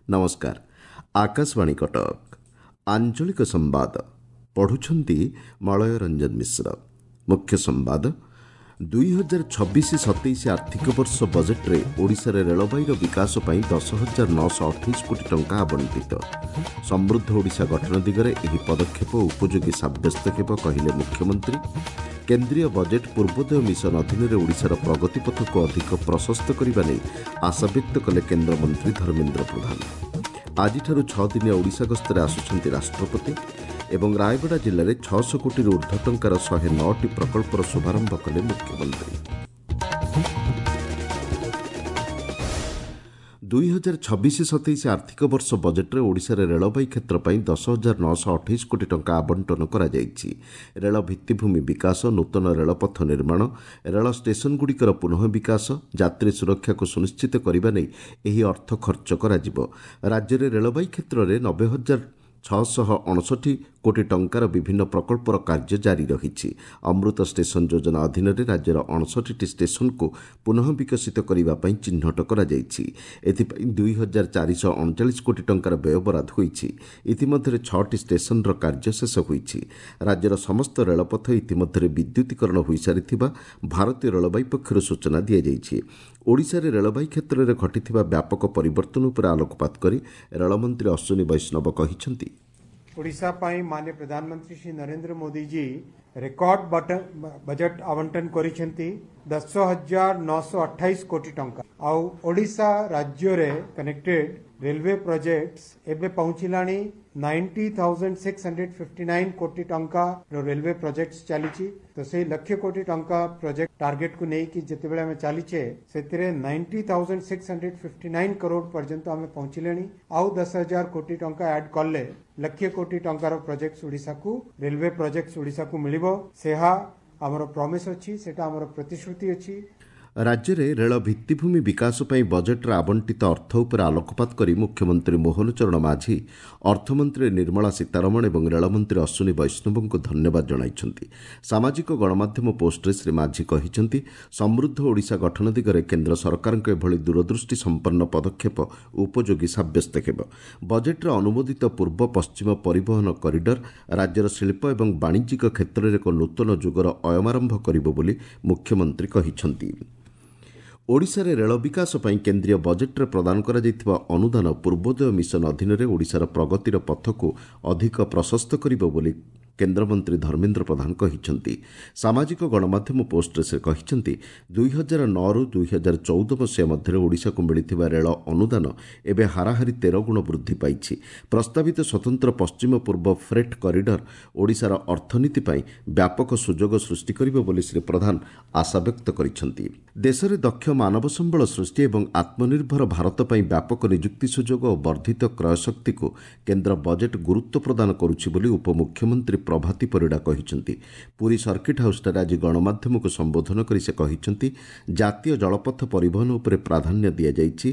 ନମସ୍କାର, ଆକାଶବାଣୀ କଟକ। ଆଞ୍ଚଳିକ ସମ୍ବାଦ ପଢ଼ୁଛନ୍ତି ମଳୟ ରଞ୍ଜନ ମିଶ୍ର। ମୁଖ୍ୟ ସମ୍ବାଦ। 2026-27 ଆର୍ଥିକ ବର୍ଷ ବଜେଟ୍ରେ ଓଡ଼ିଶାରେ ରେଳବାଇର ବିକାଶ ପାଇଁ 10,928 କୋଟି ଟଙ୍କା ଆବଣ୍ଟିତ। ସମୃଦ୍ଧ ଓଡ଼ିଶା ଗଠନ ଦିଗରେ ଏହି ପଦକ୍ଷେପ ଉପଯୋଗୀ ସାବ୍ୟସ୍ତ ହେବ, କହିଲେ ମୁଖ୍ୟମନ୍ତ୍ରୀ। କେନ୍ଦ୍ରୀୟ ବଜେଟ୍ ପୂର୍ବୋଦୟ ମିଶନ ଅଧୀନରେ ଓଡ଼ିଶାର ପ୍ରଗତି ପଥକୁ ଅଧିକ ପ୍ରଶସ୍ତ କରିବା ନେଇ ଆଶାବ୍ୟକ୍ତ କଲେ କେନ୍ଦ୍ରମନ୍ତ୍ରୀ ଧର୍ମେନ୍ଦ୍ର ପ୍ରଧାନ। ଆଜିଠାରୁ 6 ଦିନିଆ ଓଡ଼ିଶା ଗସ୍ତରେ ଆସୁଛନ୍ତି ରାଷ୍ଟ୍ରପତି। ଏବଂ ରାୟଗଡ଼ା ଜିଲ୍ଲାରେ 600 କୋଟିରୁ ଉର୍ଦ୍ଧ୍ୱ ଟଙ୍କାର 109ଟି ପ୍ରକଳ୍ପର ଶୁଭାରମ୍ଭ କଲେ ମୁଖ୍ୟମନ୍ତ୍ରୀ। 2026-27 ଆର୍ଥିକ ବର୍ଷ ବଜେଟ୍ରେ ଓଡ଼ିଶାରେ ରେଳବାଇ କ୍ଷେତ୍ର ପାଇଁ 10,928 କୋଟି ଟଙ୍କା ଆବଣ୍ଟନ କରାଯାଇଛି। ରେଳ ଭିତ୍ତିଭୂମି ବିକାଶ, ନୂତନ ରେଳପଥ ନିର୍ମାଣ, ରେଳ ଷ୍ଟେସନଗୁଡ଼ିକର ପୁନଃ ବିକାଶ, ଯାତ୍ରୀ ସୁରକ୍ଷାକୁ ସୁନିଶ୍ଚିତ କରିବା ନେଇ ଏହି ଅର୍ଥ ଖର୍ଚ୍ଚ କରାଯିବ। ରାଜ୍ୟରେ ରେଳବାଇ କ୍ଷେତ୍ରରେ 90,659 କୋଟି ଟଙ୍କାର ବିଭିନ୍ନ ପ୍ରକଳ୍ପର କାର୍ଯ୍ୟ ଜାରି ରହିଛି। ଅମୃତ ଷ୍ଟେସନ ଯୋଜନା ଅଧୀନରେ ରାଜ୍ୟର 59ଟି ଷ୍ଟେସନକୁ ପୁନଃ ବିକଶିତ କରିବା ପାଇଁ ଚିହ୍ନଟ କରାଯାଇଛି। ଏଥିପାଇଁ 2,439 କୋଟି ଟଙ୍କାର ବ୍ୟୟବରାଦ ହୋଇଛି। ଇତିମଧ୍ୟରେ 6ଟି ଷ୍ଟେସନର କାର୍ଯ୍ୟ ଶେଷ ହୋଇଛି। ରାଜ୍ୟର ସମସ୍ତ ରେଳପଥ ଇତିମଧ୍ୟରେ ବିଦ୍ୟୁତୀକରଣ ହୋଇସାରିଥିବା ଭାରତୀୟ ରେଳବାଇ ପକ୍ଷରୁ ସୂଚନା ଦିଆଯାଇଛି। ଓଡ଼ିଶାରେ ରେଳବାଇ କ୍ଷେତ୍ରରେ ଘଟିଥିବା ବ୍ୟାପକ ପରିବର୍ତ୍ତନ ଉପରେ ଆଲୋକପାତ କରି ରେଳମନ୍ତ୍ରୀ ଅଶ୍ୱିନୀ ବୈଷ୍ଣବ କହିଛନ୍ତି, ଓଡ଼ିଶା ପାଇଁ ମାନ୍ୟ ପ୍ରଧାନମନ୍ତ୍ରୀ ଶ୍ରୀ ନରେନ୍ଦ୍ର ମୋଦିଜୀ ରେକର୍ଡ ବଜେଟ୍ ଆବଣ୍ଟନ କରିଛନ୍ତି 10,928 କୋଟି ଟଙ୍କା। ଆଉ ଓଡ଼ିଶା ରାଜ୍ୟରେ କନେକ୍ଟେଡ୍ ରେଲୱେ ପ୍ରୋଜେକ୍ଟସ୍ ଏବେ ପହଞ୍ଚିଲାଣି 90,659 କୋଟି ଟଙ୍କାର ରେଲୱେ ପ୍ରୋଜେକ୍ଟସ୍ ଚାଲିଛି। ତ ସେଇ ଲକ୍ଷ କୋଟି ଟଙ୍କା ପ୍ରୋଜେକ୍ଟ ଟାର୍ଗେଟକୁ ନେଇକି ଯେତେବେଳେ ଆମେ ଚାଲିଛେ, ସେଥିରେ 90,659 କରୋଡ଼ ପର୍ଯ୍ୟନ୍ତ ଆମେ ପହଞ୍ଚିଲେଣି। ଆଉ 10,000 କୋଟି ଟଙ୍କା ଆଡ୍ କଲେ ଲକ୍ଷ କୋଟି ଟଙ୍କାର ପ୍ରୋଜେକ୍ଟ ଓଡ଼ିଶାକୁ, ରେଲୱେ ପ୍ରୋଜେକ୍ଟ ଓଡ଼ିଶାକୁ ମିଳିବ। ସେହା ଆମର ପ୍ରମିସ୍ ଅଛି, ସେଟା ଆମର ପ୍ରତିଶ୍ରୁତି ଅଛି। ରାଜ୍ୟରେ ରେଳ ଭିତ୍ତିଭୂମି ବିକାଶ ପାଇଁ ବଜେଟ୍ରେ ଆବଣ୍ଟିତ ଅର୍ଥ ଉପରେ ଆଲୋକପାତ କରି ମୁଖ୍ୟମନ୍ତ୍ରୀ ମୋହନ ଚରଣ ମାଝୀ ଅର୍ଥମନ୍ତ୍ରୀ ନିର୍ମଳା ସୀତାରମଣ ଏବଂ ରେଳମନ୍ତ୍ରୀ ଅଶ୍ୱିନୀ ବୈଷ୍ଣବଙ୍କୁ ଧନ୍ୟବାଦ ଜଣାଇଛନ୍ତି। ସାମାଜିକ ଗଣମାଧ୍ୟମ ପୋଷ୍ଟରେ ଶ୍ରୀ ମାଝୀ କହିଛନ୍ତି, ସମୃଦ୍ଧ ଓଡ଼ିଶା ଗଠନ ଦିଗରେ କେନ୍ଦ୍ର ସରକାରଙ୍କ ଏଭଳି ଦୂରଦୃଷ୍ଟି ସମ୍ପନ୍ନ ପଦକ୍ଷେପ ଉପଯୋଗୀ ସାବ୍ୟସ୍ତ ହେବ। ବଜେଟ୍ରେ ଅନୁମୋଦିତ ପୂର୍ବ ପଶ୍ଚିମ ପରିବହନ କରିଡର ରାଜ୍ୟର ଶିଳ୍ପ ଏବଂ ବାଣିଜ୍ୟିକ କ୍ଷେତ୍ରରେ ଏକ ନୂତନ ଯୁଗର ଅୟମାରମ୍ଭ କରିବ ବୋଲି ମୁଖ୍ୟମନ୍ତ୍ରୀ କହିଛନ୍ତି। ଓଡ଼ିଶାରେ ରେଳ ବିକାଶ ପାଇଁ କେନ୍ଦ୍ରୀୟ ବଜେଟ୍ରେ ପ୍ରଦାନ କରାଯାଇଥିବା ଅନୁଦାନ ପୂର୍ବୋଦୟ ମିଶନ ଅଧୀନରେ ଓଡ଼ିଶାର ପ୍ରଗତିର ପଥକୁ ଅଧିକ ପ୍ରଶସ୍ତ କରିବ ବୋଲି କେନ୍ଦ୍ରମନ୍ତ୍ରୀ ଧର୍ମେନ୍ଦ୍ର ପ୍ରଧାନ କହିଛନ୍ତି। ସାମାଜିକ ଗଣମାଧ୍ୟମ ପୋଷ୍ଟରେ ସେ କହିଛନ୍ତି, 2009ରୁ 2014 ମସିହା ମଧ୍ୟରେ ଓଡ଼ିଶାକୁ ମିଳିଥିବା ରେଳ ଅନୁଦାନ ଏବେ ହାରାହାରି 13 ଗୁଣ ବୃଦ୍ଧି ପାଇଛି। ପ୍ରସ୍ତାବିତ ସ୍ୱତନ୍ତ୍ର ପଶ୍ଚିମ ପୂର୍ବ ଫ୍ରେଟ୍ କରିଡର ଓଡ଼ିଶାର ଅର୍ଥନୀତି ପାଇଁ ବ୍ୟାପକ ସୁଯୋଗ ସୃଷ୍ଟି କରିବ ବୋଲି ଶ୍ରୀ ପ୍ରଧାନ ଆଶାବ୍ୟକ୍ତ କରିଛନ୍ତି। ଦେଶରେ ଦକ୍ଷ ମାନବ ସମ୍ବଳ ସୃଷ୍ଟି ଏବଂ ଆତ୍ମନିର୍ଭର ଭାରତ ପାଇଁ ବ୍ୟାପକ ନିଯୁକ୍ତି ସୁଯୋଗ ଓ ବର୍ଦ୍ଧିତ କ୍ରୟଶକ୍ତିକୁ କେନ୍ଦ୍ର ବଜେଟ୍ ଗୁରୁତ୍ୱ ପ୍ରଦାନ କରୁଛି ବୋଲି ଉପମୁଖ୍ୟମନ୍ତ୍ରୀ ପ୍ରଭାତୀ ପରିଡ଼ା କହିଛନ୍ତି। ପୁରୀ ସର୍କିଟ୍ ହାଉସ୍ଠାରେ ଆଜି ଗଣମାଧ୍ୟମକୁ ସମ୍ବୋଧନ କରି ସେ କହିଛନ୍ତି, ଜାତୀୟ ଜଳପଥ ପରିବହନ ଉପରେ ପ୍ରାଧାନ୍ୟ ଦିଆଯାଇଛି।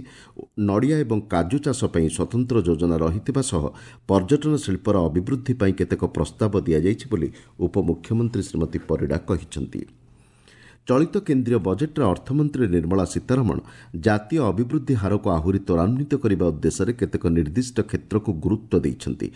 ନଡ଼ିଆ ଏବଂ କାଜୁ ଚାଷ ପାଇଁ ସ୍ୱତନ୍ତ୍ର ଯୋଜନା ରହିଥିବା ସହ ପର୍ଯ୍ୟଟନ ଶିଳ୍ପର ଅଭିବୃଦ୍ଧି ପାଇଁ କେତେକ ପ୍ରସ୍ତାବ ଦିଆଯାଇଛି ବୋଲି ଉପମୁଖ୍ୟମନ୍ତ୍ରୀ ଶ୍ରୀମତୀ ପରିଡ଼ା କହିଛନ୍ତି। ଚଳିତ କେନ୍ଦ୍ରୀୟ ବଜେଟ୍ରେ ଅର୍ଥମନ୍ତ୍ରୀ ନିର୍ମଳା ସୀତାରମଣ ଜାତୀୟ ଅଭିବୃଦ୍ଧି ହାରକୁ ଆହୁରି ତ୍ୱରାନ୍ୱିତ କରିବା ଉଦ୍ଦେଶ୍ୟରେ କେତେକ ନିର୍ଦ୍ଦିଷ୍ଟ କ୍ଷେତ୍ରକୁ ଗୁରୁତ୍ୱ ଦେଇଛନ୍ତି।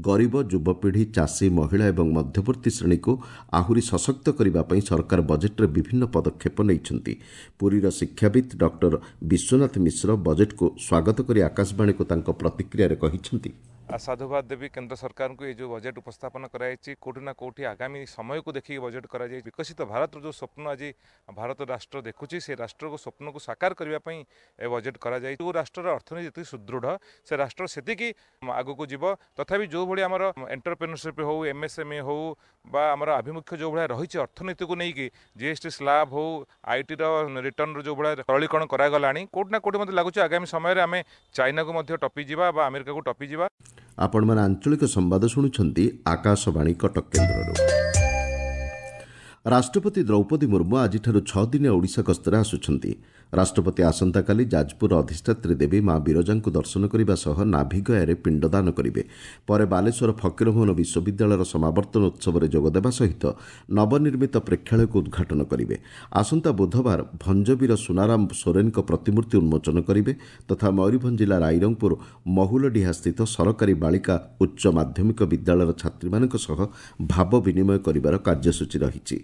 ଗରିବ, ଯୁବପିଢ଼ି, ଚାଷୀ, ମହିଳା ଏବଂ ମଧ୍ୟବର୍ତ୍ତୀ ଶ୍ରେଣୀକୁ ଆହୁରି ସଶକ୍ତ କରିବା ପାଇଁ ସରକାର ବଜେଟ୍ରେ ବିଭିନ୍ନ ପଦକ୍ଷେପ ନେଇଛନ୍ତି। ପୁରୀର ଶିକ୍ଷାବିତ୍ ଡକ୍ଟର ବିଶ୍ୱନାଥ ମିଶ୍ର ବଜେଟ୍କୁ ସ୍ୱାଗତ କରି ଆକାଶବାଣୀକୁ ତାଙ୍କ ପ୍ରତିକ୍ରିୟାରେ କହିଛନ୍ତି, ସାଧୁବାଦ ଦେବି କେନ୍ଦ୍ର ସରକାରଙ୍କୁ। ଏ ଯେଉଁ ବଜେଟ୍ ଉପସ୍ଥାପନ କରାଯାଇଛି, କେଉଁଠି ନା କେଉଁଠି ଆଗାମୀ ସମୟକୁ ଦେଖିକି ବଜେଟ୍ କରାଯାଇଛି। ବିକଶିତ ଭାରତର ଯେଉଁ ସ୍ୱପ୍ନ ଆଜି ଭାରତ ରାଷ୍ଟ୍ର ଦେଖୁଛି, ସେ ରାଷ୍ଟ୍ରକୁ ସ୍ୱପ୍ନକୁ ସାକାର କରିବା ପାଇଁ ଏ ବଜେଟ୍ କରାଯାଇଛି। ଯେଉଁ ରାଷ୍ଟ୍ରର ଅର୍ଥନୀତି ଯେତିକି ସୁଦୃଢ଼, ସେ ରାଷ୍ଟ୍ର ସେତିକି ଆଗକୁ ଯିବ। ତଥାପି ଯେଉଁଭଳି ଆମର ଏଣ୍ଟରପ୍ରେନରସିପ୍ ହେଉ, ଏମ୍ଏସ୍ଏମ୍ଇ ହେଉ ବା ଆମର ଆଭିମୁଖ୍ୟ ଯେଉଁଭଳିଆ ରହିଛି ଅର୍ଥନୀତିକୁ ନେଇକି, ଜିଏସ୍ଟି ସ୍ଲାବ୍ ହେଉ, ଆଇଟିର ରିଟର୍ଣ୍ଣର ଯେଉଁଭଳିଆ ସରଳୀକରଣ କରାଗଲାଣି, କେଉଁଠି ନା କେଉଁଠି ମୋତେ ଲାଗୁଛି ଆଗାମୀ ସମୟରେ ଆମେ ଚାଇନାକୁ ମଧ୍ୟ ଟପିଯିବା ବା ଆମେରିକାକୁ ଟପିଯିବା। ଆପଣମାନେ ଆଞ୍ଚଳିକ ସମ୍ବାଦ ଶୁଣୁଛନ୍ତି ଆକାଶବାଣୀ କଟକ କେନ୍ଦ୍ରରୁ। ରାଷ୍ଟ୍ରପତି ଦ୍ରୌପଦୀ ମୁର୍ମୁ ଆଜିଠାରୁ 6 ଦିନିଆ ଓଡ଼ିଶା ଗସ୍ତରେ ଆସୁଛନ୍ତି। ରାଷ୍ଟ୍ରପତି ଆସନ୍ତାକାଲି ଯାଜପୁରର ଅଧିଷ୍ଠାତ୍ରୀ ଦେବୀ ମା ବିରଜାଙ୍କୁ ଦର୍ଶନ କରିବା ସହ ନାଭିଗୟାରେ ପିଣ୍ଡଦାନ କରିବେ। ପରେ ବାଲେଶ୍ୱର ଫକୀରମୋହନ ବିଶ୍ୱବିଦ୍ୟାଳୟର ସମାବର୍ତ୍ତନ ଉତ୍ସବରେ ଯୋଗଦେବା ସହିତ ନବନିର୍ମିତ ପ୍ରେକ୍ଷାଳୟକୁ ଉଦ୍ଘାଟନ କରିବେ। ଆସନ୍ତା ବୁଧବାର ଭଞ୍ଜବୀର ସୁନାରାମ ସୋରେନଙ୍କ ପ୍ରତିମୂର୍ତ୍ତି ଉନ୍ମୋଚନ କରିବେ ତଥା ମୟୂରଭଞ୍ଜ ଜିଲ୍ଲା ରାଇରଙ୍ଗପୁର ମହୁଲଡିହାସ୍ଥିତ ସରକାରୀ ବାଳିକା ଉଚ୍ଚ ମାଧ୍ୟମିକ ବିଦ୍ୟାଳୟର ଛାତ୍ରୀମାନଙ୍କ ସହ ଭାବ ବିନିମୟ କରିବାର କାର୍ଯ୍ୟସୂଚୀ ରହିଛି।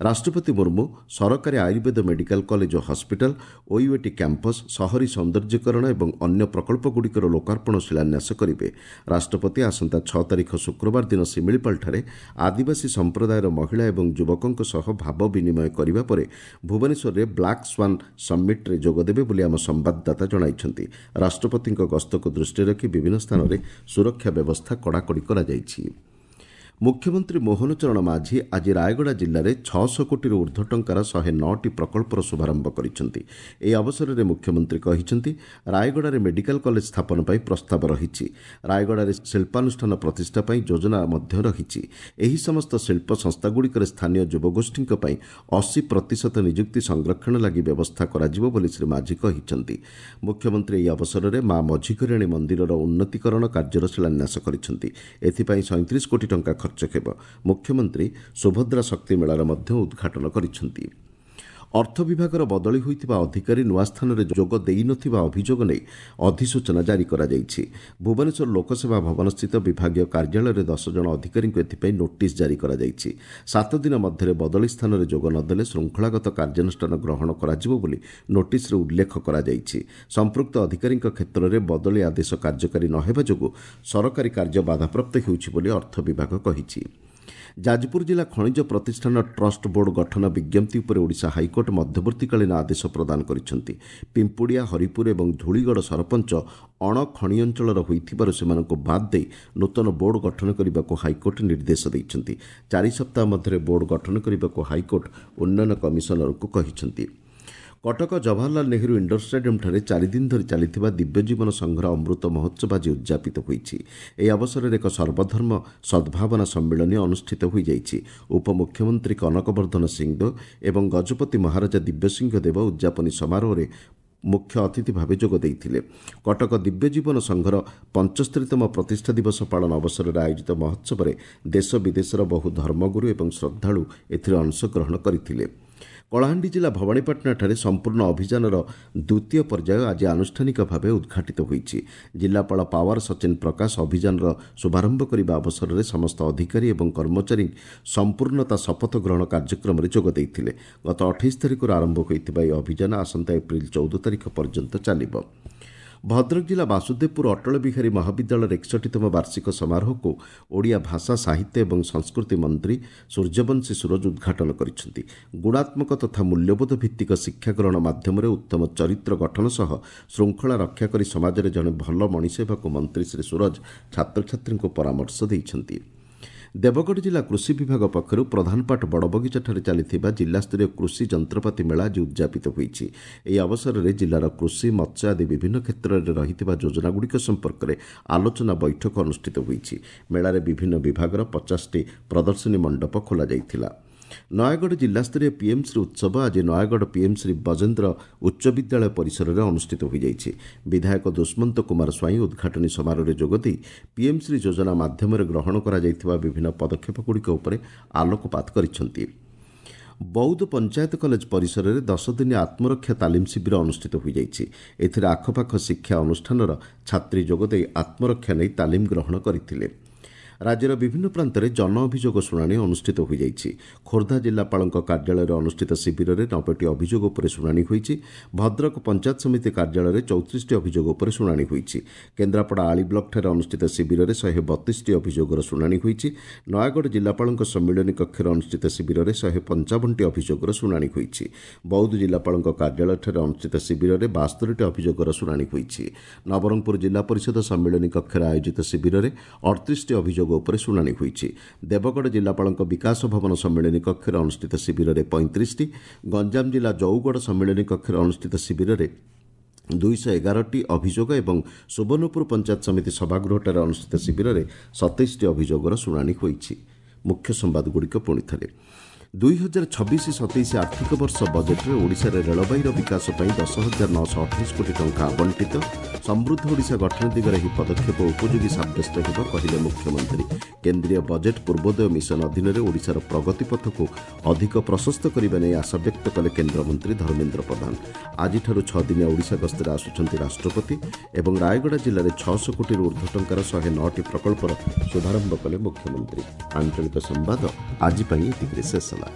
ରାଷ୍ଟ୍ରପତି ମୁର୍ମୁ ସରକାରୀ ଆୟୁର୍ବେଦ ମେଡିକାଲ କଲେଜ ଓ ହସ୍ପିଟାଲ, ଓୟୁଏଟି କ୍ୟାମ୍ପସ, ସହରୀ ସୌନ୍ଦର୍ଯ୍ୟକରଣ ଏବଂ ଅନ୍ୟ ପ୍ରକଳ୍ପଗୁଡ଼ିକର ଲୋକାର୍ପଣ ଶିଳାନ୍ୟାସ କରିବେ। ରାଷ୍ଟ୍ରପତି ଆସନ୍ତା 6 ତାରିଖ ଶୁକ୍ରବାର ଦିନ ଶିମିଳିପାଳଠାରେ ଆଦିବାସୀ ସମ୍ପ୍ରଦାୟର ମହିଳା ଏବଂ ଯୁବକଙ୍କ ସହ ଭାବ ବିନିମୟ କରିବା ପରେ ଭୁବନେଶ୍ୱରରେ ବ୍ଲାକ୍ ସ୍ୱାନ୍ ସମିଟ୍ରେ ଯୋଗଦେବେ ବୋଲି ଆମ ସମ୍ବାଦଦାତା ଜଣାଇଛନ୍ତି। ରାଷ୍ଟ୍ରପତିଙ୍କ ଗସ୍ତକୁ ଦୃଷ୍ଟିରେ ରଖି ବିଭିନ୍ନ ସ୍ଥାନରେ ସୁରକ୍ଷା ବ୍ୟବସ୍ଥା କଡ଼ାକଡ଼ି କରାଯାଇଛି। ମୁଖ୍ୟମନ୍ତ୍ରୀ ମୋହନ ଚରଣ ମାଝୀ ଆଜି ରାୟଗଡ଼ା ଜିଲ୍ଲାରେ 600 କୋଟିରୁ ଉର୍ଦ୍ଧ୍ୱ ଟଙ୍କାର 109ଟି ପ୍ରକଳ୍ପର ଶୁଭାରମ୍ଭ କରିଛନ୍ତି। ଏହି ଅବସରରେ ମୁଖ୍ୟମନ୍ତ୍ରୀ କହିଛନ୍ତି, ରାୟଗଡ଼ାରେ ମେଡିକାଲ କଲେଜ ସ୍ଥାପନ ପାଇଁ ପ୍ରସ୍ତାବ ରହିଛି। ରାୟଗଡ଼ାରେ ଶିଳ୍ପାନୁଷ୍ଠାନ ପ୍ରତିଷ୍ଠା ପାଇଁ ଯୋଜନା ମଧ୍ୟ ରହିଛି। ଏହି ସମସ୍ତ ଶିଳ୍ପ ସଂସ୍ଥାଗୁଡ଼ିକରେ ସ୍ଥାନୀୟ ଯୁବଗୋଷ୍ଠୀଙ୍କ ପାଇଁ 80% ନିଯୁକ୍ତି ସଂରକ୍ଷଣ ଲାଗି ବ୍ୟବସ୍ଥା କରାଯିବ ବୋଲି ଶ୍ରୀ ମାଝୀ କହିଛନ୍ତି। ମୁଖ୍ୟମନ୍ତ୍ରୀ ଏହି ଅବସରରେ ମା ମଝିଘରିଆଣୀ ମନ୍ଦିରର ଉନ୍ନତିକରଣ କାର୍ଯ୍ୟର ଶିଳାନ୍ୟାସ କରିଛନ୍ତି। ଏଥିପାଇଁ 37 କୋଟି ଟଙ୍କା ଖର୍ଚ୍ଚ ହେବ। ମୁଖ୍ୟମନ୍ତ୍ରୀ ସୁଭଦ୍ରା ଶକ୍ତି ମେଳାର ମଧ୍ୟ ଉଦ୍ଘାଟନ କରିଛନ୍ତି। ଅର୍ଥ ବିଭାଗର ବଦଳି ହୋଇଥିବା ଅଧିକାରୀ ନୂଆ ସ୍ଥାନରେ ଯୋଗ ଦେଇନଥିବା ଅଭିଯୋଗ ନେଇ ଅଧିସୂଚନା ଜାରି କରାଯାଇଛି। ଭୁବନେଶ୍ୱର ଲୋକସେବା ଭବନସ୍ଥିତ ବିଭାଗୀୟ କାର୍ଯ୍ୟାଳୟରେ 10 ଜଣ ଅଧିକାରୀଙ୍କୁ ଏଥିପାଇଁ ନୋଟିସ୍ ଜାରି କରାଯାଇଛି। 7 ଦିନ ମଧ୍ୟରେ ବଦଳି ସ୍ଥାନରେ ଯୋଗ ନଦେଲେ ଶୃଙ୍ଖଳାଗତ କାର୍ଯ୍ୟାନୁଷ୍ଠାନ ଗ୍ରହଣ କରାଯିବ ବୋଲି ନୋଟିସ୍ରେ ଉଲ୍ଲେଖ କରାଯାଇଛି। ସମ୍ପୃକ୍ତ ଅଧିକାରୀଙ୍କ କ୍ଷେତ୍ରରେ ବଦଳି ଆଦେଶ କାର୍ଯ୍ୟକାରୀ ନ ହେବା ଯୋଗୁଁ ସରକାରୀ କାର୍ଯ୍ୟ ବାଧାପ୍ରାପ୍ତ ହେଉଛି ବୋଲି ଅର୍ଥ ବିଭାଗ କହିଛି। ଯାଜପୁର ଜିଲ୍ଲା ଖଣିଜ ପ୍ରତିଷ୍ଠାନ ଟ୍ରଷ୍ଟ ବୋର୍ଡ ଗଠନ ବିଜ୍ଞପ୍ତି ଉପରେ ଓଡ଼ିଶା ହାଇକୋର୍ଟ ମଧ୍ୟବର୍ତ୍ତୀକାଳୀନ ଆଦେଶ ପ୍ରଦାନ କରିଛନ୍ତି। ପିମ୍ପୁଡ଼ିଆ, ହରିପୁର ଏବଂ ଧୂଳିଗଡ଼ ସରପଞ୍ଚ ଅଣଖଣି ଅଞ୍ଚଳର ହୋଇଥିବାରୁ ସେମାନଙ୍କୁ ବାଦ୍ ଦେଇ ନୂତନ ବୋର୍ଡ ଗଠନ କରିବାକୁ ହାଇକୋର୍ଟ ନିର୍ଦ୍ଦେଶ ଦେଇଛନ୍ତି। 4 ସପ୍ତାହ ମଧ୍ୟରେ ବୋର୍ଡ ଗଠନ କରିବାକୁ ହାଇକୋର୍ଟ ଉନ୍ନୟନ କମିଶନରଙ୍କୁ କହିଛନ୍ତି। କଟକ ଜବାହରଲାଲ ନେହେରୁ ଇଣ୍ଡୋର ଷ୍ଟାଡିୟମ୍ଠାରେ 4 ଦିନ ଧରି ଚାଲିଥିବା ଦିବ୍ୟଜୀବନ ସଂଘର ଅମୃତ ମହୋତ୍ସବ ଆଜି ଉଦ୍ଯାପିତ ହୋଇଛି। ଏହି ଅବସରରେ ଏକ ସର୍ବଧର୍ମ ସଦ୍ଭାବନା ସମ୍ମିଳନୀ ଅନୁଷ୍ଠିତ ହୋଇଯାଇଛି। ଉପମୁଖ୍ୟମନ୍ତ୍ରୀ କନକବର୍ଦ୍ଧନ ସିଂଦେଓ ଏବଂ ଗଜପତି ମହାରାଜା ଦିବ୍ୟସିଂହ ଦେବ ଉଦ୍ଯାପନୀ ସମାରୋହରେ ମୁଖ୍ୟ ଅତିଥି ଭାବେ ଯୋଗ ଦେଇଥିଲେ। କଟକ ଦିବ୍ୟଜୀବନ ସଂଘର 75ତମ ପ୍ରତିଷ୍ଠା ଦିବସ ପାଳନ ଅବସରରେ ଆୟୋଜିତ ମହୋତ୍ସବରେ ଦେଶ ବିଦେଶର ବହୁ ଧର୍ମଗୁରୁ ଏବଂ ଶ୍ରଦ୍ଧାଳୁ ଏଥିରେ ଅଂଶଗ୍ରହଣ କରିଥିଲେ। କଳାହାଣ୍ଡି ଜିଲ୍ଲା ଭବାନୀପାଟଣାଠାରେ ସମ୍ପୂର୍ଣ୍ଣ ଅଭିଯାନର ଦ୍ୱିତୀୟ ପର୍ଯ୍ୟାୟ ଆଜି ଆନୁଷ୍ଠାନିକ ଭାବେ ଉଦ୍ଘାଟିତ ହୋଇଛି। ଜିଲ୍ଲାପାଳ ପାୱାର ସଚିନ ପ୍ରକାଶ ଅଭିଯାନର ଶୁଭାରମ୍ଭ କରିବା ଅବସରରେ ସମସ୍ତ ଅଧିକାରୀ ଏବଂ କର୍ମଚାରୀ ସମ୍ପୂର୍ଣ୍ଣତା ଶପଥ ଗ୍ରହଣ କାର୍ଯ୍ୟକ୍ରମରେ ଯୋଗ ଦେଇଥିଲେ। ଗତ 28 ତାରିଖରୁ ଆରମ୍ଭ ହୋଇଥିବା ଏହି ଅଭିଯାନ ଆସନ୍ତା ଏପ୍ରିଲ 14 ତାରିଖ ପର୍ଯ୍ୟନ୍ତ ଚାଲିବ। ଭଦ୍ରକ ଜିଲ୍ଲା ବାସୁଦେବପୁର ଅଟଳ ବିହାରୀ ମହାବିଦ୍ୟାଳୟର 61ତମ ବାର୍ଷିକ ସମାରୋହକୁ ଓଡ଼ିଆ ଭାଷା, ସାହିତ୍ୟ ଏବଂ ସଂସ୍କୃତି ମନ୍ତ୍ରୀ ସୂର୍ଯ୍ୟବଂଶୀ ସୂରଜ ଉଦ୍ଘାଟନ କରିଛନ୍ତି। ଗୁଣାତ୍ମକ ତଥା ମୂଲ୍ୟବୋଧ ଭିତ୍ତିକ ଶିକ୍ଷା ଗ୍ରହଣ ମାଧ୍ୟମରେ ଉତ୍ତମ ଚରିତ୍ର ଗଠନ ସହ ଶୃଙ୍ଖଳା ରକ୍ଷା କରି ସମାଜରେ ଜଣେ ଭଲ ମଣିଷ ହେବାକୁ ମନ୍ତ୍ରୀ ଶ୍ରୀ ସୂରଜ ଛାତ୍ରଛାତ୍ରୀଙ୍କୁ ପରାମର୍ଶ ଦେଇଛନ୍ତି। ଦେବଗଡ଼ ଜିଲ୍ଲା କୃଷି ବିଭାଗ ପକ୍ଷରୁ ପ୍ରଧାନପାଟ ବଡ଼ବଗିଚାଠାରେ ଚାଲିଥିବା ଜିଲ୍ଲାସ୍ତରୀୟ କୃଷି ଯନ୍ତ୍ରପାତି ମେଳା ଆଜି ଉଦ୍ଯାପିତ ହୋଇଛି। ଏହି ଅବସରରେ ଜିଲ୍ଲାର କୃଷି, ମତ୍ସ୍ୟ ଆଦି ବିଭିନ୍ନ କ୍ଷେତ୍ରରେ ରହିଥିବା ଯୋଜନାଗୁଡ଼ିକ ସମ୍ପର୍କରେ ଆଲୋଚନା ବୈଠକ ଅନୁଷ୍ଠିତ ହୋଇଛି। ମେଳାରେ ବିଭିନ୍ନ ବିଭାଗର 50ଟି ପ୍ରଦର୍ଶନୀ ମଣ୍ଡପ ଖୋଲାଯାଇଥିଲା। ନୟାଗଡ଼ ଜିଲ୍ଲାସ୍ତରୀୟ ପିଏମ୍ଶ୍ରୀ ଉତ୍ସବ ଆଜି ନୟାଗଡ଼ ପିଏମ୍ଶ୍ରୀ ବଜେନ୍ଦ୍ର ଉଚ୍ଚ ବିଦ୍ୟାଳୟ ପରିସରରେ ଅନୁଷ୍ଠିତ ହୋଇଯାଇଛି। ବିଧାୟକ ଦୁଷ୍ମନ୍ତ କୁମାର ସ୍ୱାଇଁ ଉଦ୍ଘାଟନୀ ସମାରୋହରେ ଯୋଗଦେଇ ପିଏମ୍ଶ୍ରୀ ଯୋଜନା ମାଧ୍ୟମରେ ଗ୍ରହଣ କରାଯାଇଥିବା ବିଭିନ୍ନ ପଦକ୍ଷେପଗୁଡ଼ିକ ଉପରେ ଆଲୋକପାତ କରିଛନ୍ତି। ବୌଦ୍ଧ ପଞ୍ଚାୟତ କଲେଜ ପରିସରରେ 10 ଦିନିଆ ଆତ୍ମରକ୍ଷା ତାଲିମ ଶିବିର ଅନୁଷ୍ଠିତ ହୋଇଯାଇଛି। ଏଥିରେ ଆଖପାଖ ଶିକ୍ଷା ଅନୁଷ୍ଠାନର ଛାତ୍ରୀ ଯୋଗଦେଇ ଆତ୍ମରକ୍ଷା ନେଇ ତାଲିମ ଗ୍ରହଣ କରିଥିଲେ। ରାଜ୍ୟର ବିଭିନ୍ନ ପ୍ରାନ୍ତରେ ଜନ ଅଭିଯୋଗ ଶୁଣାଣି ଅନୁଷ୍ଠିତ ହୋଇଯାଇଛି। ଖୋର୍ଦ୍ଧା ଜିଲ୍ଲାପାଳଙ୍କ କାର୍ଯ୍ୟାଳୟରେ ଅନୁଷ୍ଠିତ ଶିବିରରେ 90ଟି ଅଭିଯୋଗ ଉପରେ ଶୁଣାଣି ହୋଇଛି। ଭଦ୍ରକ ପଞ୍ଚାୟତ ସମିତି କାର୍ଯ୍ୟାଳୟରେ 34ଟି ଅଭିଯୋଗ ଉପରେ ଶୁଣାଣି ହୋଇଛି। କେନ୍ଦ୍ରାପଡ଼ା ଆଳି ବ୍ଲକଠାରେ ଅନୁଷ୍ଠିତ ଶିବିରରେ 132ଟି ଅଭିଯୋଗର ଶୁଣାଣି ହୋଇଛି। ନୟାଗଡ଼ ଜିଲ୍ଲାପାଳଙ୍କ ସମ୍ମିଳନୀ କକ୍ଷରେ ଅନୁଷ୍ଠିତ ଶିବିରରେ 155ଟି ଅଭିଯୋଗର ଶୁଣାଣି ହୋଇଛି। ବୌଦ୍ଧ ଜିଲ୍ଲାପାଳଙ୍କ କାର୍ଯ୍ୟାଳୟଠାରେ ଅନୁଷ୍ଠିତ ଶିବିରରେ 72ଟି ଅଭିଯୋଗର ଶୁଣାଣି ହୋଇଛି। ନବରଙ୍ଗପୁର ଜିଲ୍ଲା ପରିଷଦ ସମ୍ମିଳନୀ କକ୍ଷରେ ଆୟୋଜିତ ଶିବିରରେ 38ଟି ଅଭିଯୋଗ ଉପରେ ଶୁଣାଣି ହୋଇଛି। ଦେବଗଡ଼ ଜିଲ୍ଲାପାଳଙ୍କ ବିକାଶ ଭବନ ସମ୍ମିଳନୀ କକ୍ଷରେ ଅନୁଷ୍ଠିତ ଶିବିରରେ 35ଟି, ଗଞ୍ଜାମ ଜିଲ୍ଲା ଜଉଗଡ଼ ସମ୍ମିଳନୀ କକ୍ଷରେ ଅନୁଷ୍ଠିତ ଶିବିରରେ 211ଟି ଅଭିଯୋଗ ଏବଂ ସୁବର୍ଣ୍ଣପୁର ପଞ୍ଚାୟତ ସମିତି ସଭାଗୃହଠାରେ ଅନୁଷ୍ଠିତ ଶିବିରରେ 27ଟି ଅଭିଯୋଗର ଶୁଣାଣି ହୋଇଛି। ମୁଖ୍ୟ ସମ୍ବାଦଗୁଡ଼ିକ ପୁଣି ଥରେ। 2026-27 ଆର୍ଥିକ ବର୍ଷ ବଜେଟ୍ରେ ଓଡ଼ିଶାରେ ରେଳବାଇର ବିକାଶ ପାଇଁ 10,928 କୋଟି ଟଙ୍କା ଆବଣ୍ଟିତ। ସମୃଦ୍ଧ ଓଡ଼ିଶା ଗଠନ ଦିଗରେ ଏହି ପଦକ୍ଷେପ ଉପଯୋଗୀ ସାବ୍ୟସ୍ତ ହେବ, କହିଲେ ମୁଖ୍ୟମନ୍ତ୍ରୀ। କେନ୍ଦ୍ରୀୟ ବଜେଟ୍ ପୂର୍ବୋଦୟ ମିଶନ ଅଧୀନରେ ଓଡ଼ିଶାର ପ୍ରଗତି ପଥକୁ ଅଧିକ ପ୍ରଶସ୍ତ କରିବା ନେଇ ଆଶାବ୍ୟକ୍ତ କଲେ କେନ୍ଦ୍ରମନ୍ତ୍ରୀ ଧର୍ମେନ୍ଦ୍ର ପ୍ରଧାନ। ଆଜିଠାରୁ 6 ଦିନିଆ ଓଡ଼ିଶା ଗସ୍ତରେ ଆସୁଛନ୍ତି ରାଷ୍ଟ୍ରପତି ଏବଂ ରାୟଗଡ଼ା ଜିଲ୍ଲାରେ 600 କୋଟିରୁ ଉର୍ଦ୍ଧ୍ୱ ଟଙ୍କାର 109ଟି ପ୍ରକଳ୍ପର ଶୁଭାରମ୍ଭ କଲେ ମୁଖ୍ୟମନ୍ତ୍ରୀ। ଆଞ୍ଚଳିକ ସମ୍ବାଦ ଆଜି ପାଇଁ ଏତିକିରେ ଶେଷ ହେଲା।